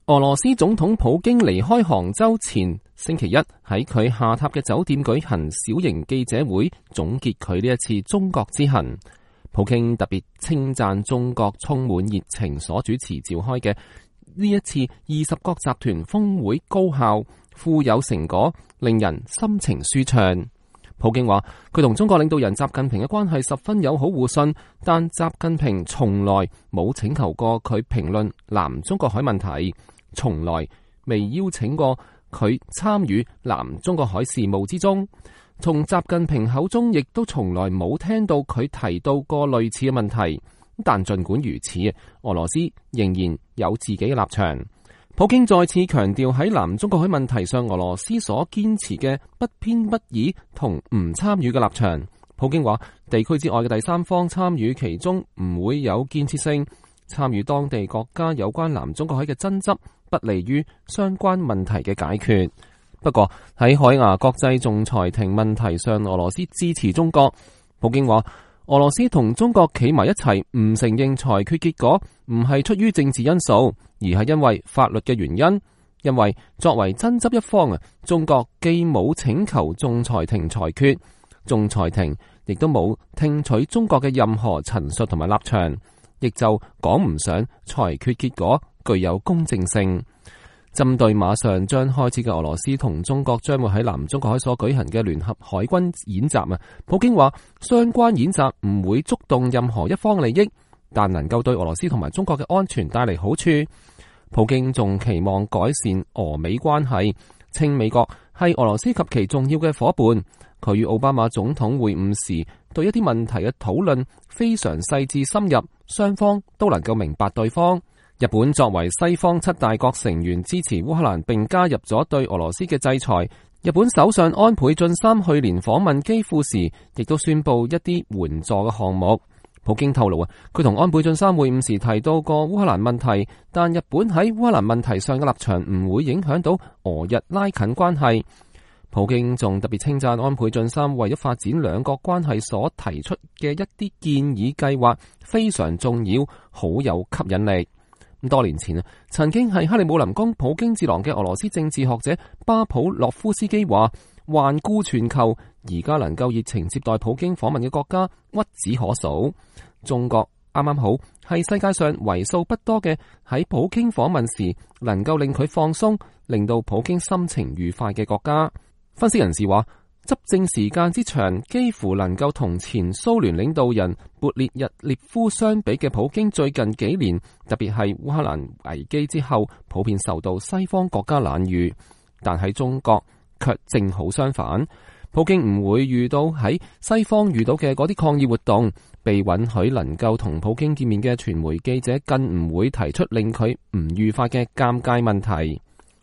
俄羅斯總統普京離開杭州前星期一喺佢下榻嘅酒店舉行小型記者會，總結佢呢一次中國之行。普京特別稱讚中國充滿熱情所主持召開嘅呢一次20國集團峰會高效、富有成果，令人心情舒暢。普京話佢同中國領導人習近平嘅關係十分友好互信，但習近平從來冇請求過佢評論南中國海問題，從來未邀請過佢參與南中國海事務之中。從習近平口中亦都從來冇聽到佢提到過類似嘅問題。但盡管如此，俄羅斯仍然有自己嘅立場。普京再次強調喺南中國海問題上，俄羅斯所堅持嘅不偏不倚同唔參與嘅立場。普京話，地區之外嘅第三方參與其中唔會有建設性，參與當地國家有關南中國海嘅爭執，不利於相關問題嘅解決。不過喺海牙國際仲裁庭問題上，俄羅斯支持中國。普京話，俄羅斯同中國企埋一齊，唔承認裁決結果，唔係出於政治因素，而係因為法律嘅原因。因為作為爭執一方，中國既冇請求仲裁庭裁決，仲裁庭亦都冇聽取中國嘅任何陳述同埋立場，亦就講唔上裁決結果具有公正性。針對馬上將開始嘅俄羅斯同中國將會喺南中國海所舉行嘅聯合海軍演習，普京話相關演習唔會觸動任何一方利益，但能夠對俄羅斯同埋中國嘅安全帶嚟好處。普京仲期望改善俄美關係，稱美國係俄羅斯及其重要嘅夥伴。佢與奧巴馬總統會晤時，對一啲問題嘅討論非常細緻深入，雙方都能夠明白對方。日本作為西方7大國成員，支持烏克蘭並加入咗對俄羅斯嘅制裁。日本首相安倍晉三去年訪問基輔時，亦都宣布一啲援助嘅項目。普京透露佢同安倍晉三會晤時提到過烏克蘭問題，但日本喺烏克蘭問題上嘅立場唔會影響到俄日拉近關係。普京仲特別稱讚安倍晉三為咗發展兩國關係所提出嘅一啲建議計劃非常重要，好有吸引力。多年前曾經係克里姆林宮普京智囊嘅俄羅斯政治學者巴普洛夫斯基話，環顧全球，而家能夠熱情接待普京訪問嘅國家屈指可數。中國啱啱好係世界上為數不多嘅喺普京訪問時能夠令佢放鬆，令到普京心情愉快嘅國家。分析人士話，執政時間之長，幾乎能夠同前蘇聯領導人勃列日涅夫相比嘅普京，最近幾年，特別係烏克蘭危機之後，普遍受到西方國家冷遇。但喺中國卻正好相反，普京唔會遇到喺西方遇到嘅嗰啲抗議活動，被允許能夠同普京見面嘅傳媒記者更唔會提出令佢唔愉快嘅尷尬問題。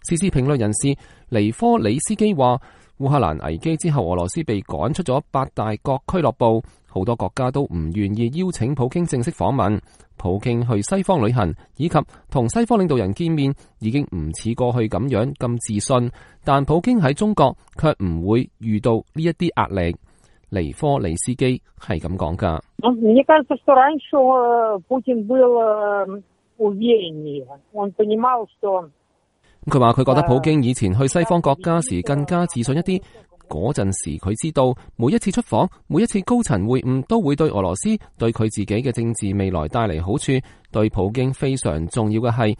時事評論人士尼科里斯基話，烏克蘭危機之後，俄羅斯被趕出咗8大國俱樂部，好多國家都唔願意邀請普京正式訪問。普京去西方旅行以及同西方領導人見面，已經唔似過去咁樣咁自信，但普京喺中國卻唔會遇到呢一啲壓力。尼科里斯基係咁講噶。佢話佢覺得普京以前去西方國家時更加自信一啲，嗰陣時佢知道每一次出訪，每一次高層會晤都會對俄羅斯、對佢自己嘅政治未來帶嚟好處。對普京非常重要嘅係，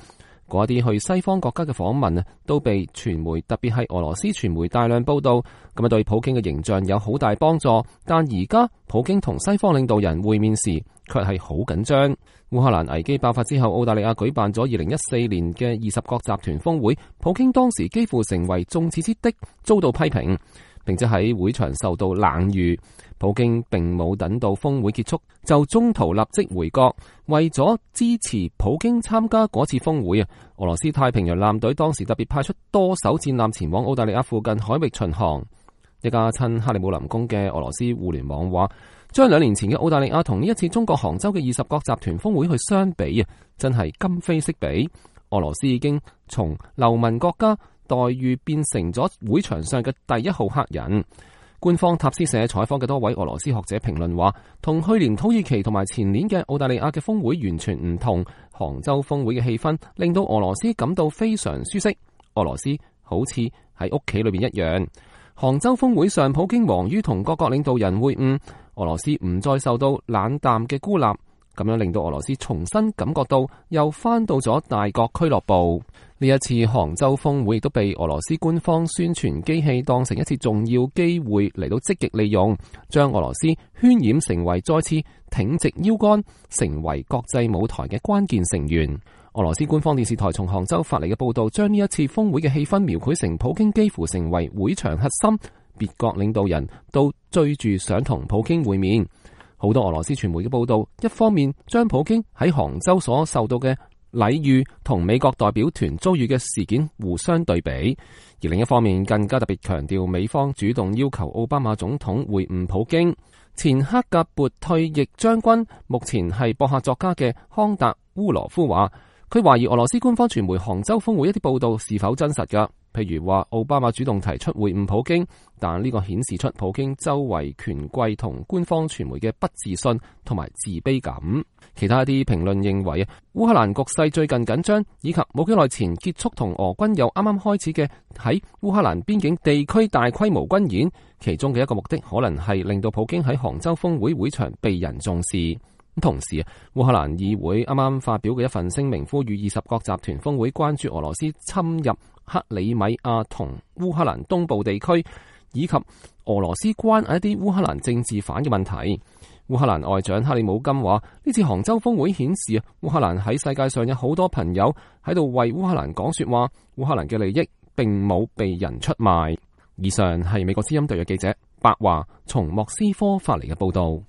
嗰啲去西方國家嘅訪問都被傳媒，特別係俄羅斯傳媒大量報道，咁對普京嘅形象有好大幫助。但而家普京同西方領導人會面時，卻係好緊張。烏克蘭危機爆發之後，澳大利亞舉辦咗2014年嘅20國集團峰會，普京當時幾乎成為眾矢之的，遭到批評，並且喺會場受到冷遇。普京並冇等到峰會結束，就中途立即回國。為咗支持普京參加嗰次峰會，俄羅斯太平洋艦隊當時特別派出多艘戰艦前往澳大利亞附近海域巡航。一家親克里姆林宮嘅俄羅斯互聯網話，將2年前嘅澳大利亞同呢一次中國杭州嘅20國集團峰會去相比，真係今非昔比。俄羅斯已經從流氓國家待遇變成咗會場上嘅第一號黑人。官方塔斯社採訪嘅多位俄羅斯學者評論話，同去年土耳其同埋前年嘅澳大利亞嘅峰會完全唔同。杭州峰會嘅氣氛令到俄羅斯感到非常舒適，俄羅斯好似喺屋企裏邊一樣。杭州峰會上，普京忙於同各國領導人會晤，俄羅斯唔再受到冷淡嘅孤立，咁樣令到俄羅斯重新感覺到又翻到咗大國俱樂部。呢一次杭州峰會亦都被俄羅斯官方宣傳機器當成一次重要機會嚟到積極利用，將俄羅斯渲染成為再次挺直腰桿，成為國際舞台嘅關鍵成員。俄羅斯官方電視台從杭州發嚟嘅報道，將呢一次峰會嘅氣氛描繪成普京幾乎成為會場核心，別國領導人都追住想同普京會面。好多俄羅斯傳媒嘅報道，一方面將普京喺杭州所受到嘅禮遇同美國代表團遭遇嘅事件互相對比，而另一方面更加特別強調美方主動要求奧巴馬總統會晤普京。前克格勃退役將軍，目前係博客作家嘅康達烏羅夫話，佢懷疑俄羅斯官方傳媒杭州峰會一啲報道是否真實㗎。譬如話奧巴馬主動提出會晤普京，但呢個顯示出普京周圍權貴同官方傳媒嘅不自信同埋自卑感。其他一啲評論認為，烏克蘭局勢最近緊張，以及冇幾耐前結束同俄軍又啱啱開始嘅喺烏克蘭邊境地區大規模軍演，其中嘅一個目的可能係令到普京喺杭州峰會會場被人重視。同時，烏克蘭議會啱啱發表嘅一份聲明，呼籲20國集團峰會關注俄羅斯侵入克里米亞同烏克蘭東部地區，以及俄羅斯關押一啲烏克蘭政治犯嘅問題。烏克蘭外長克里姆金話，呢次杭州峰會顯示烏克蘭喺世界上有好多朋友喺度為烏克蘭講說話，烏克蘭嘅利益並冇被人出賣。以上係美國之音特約記者白華從莫斯科發嚟嘅報道。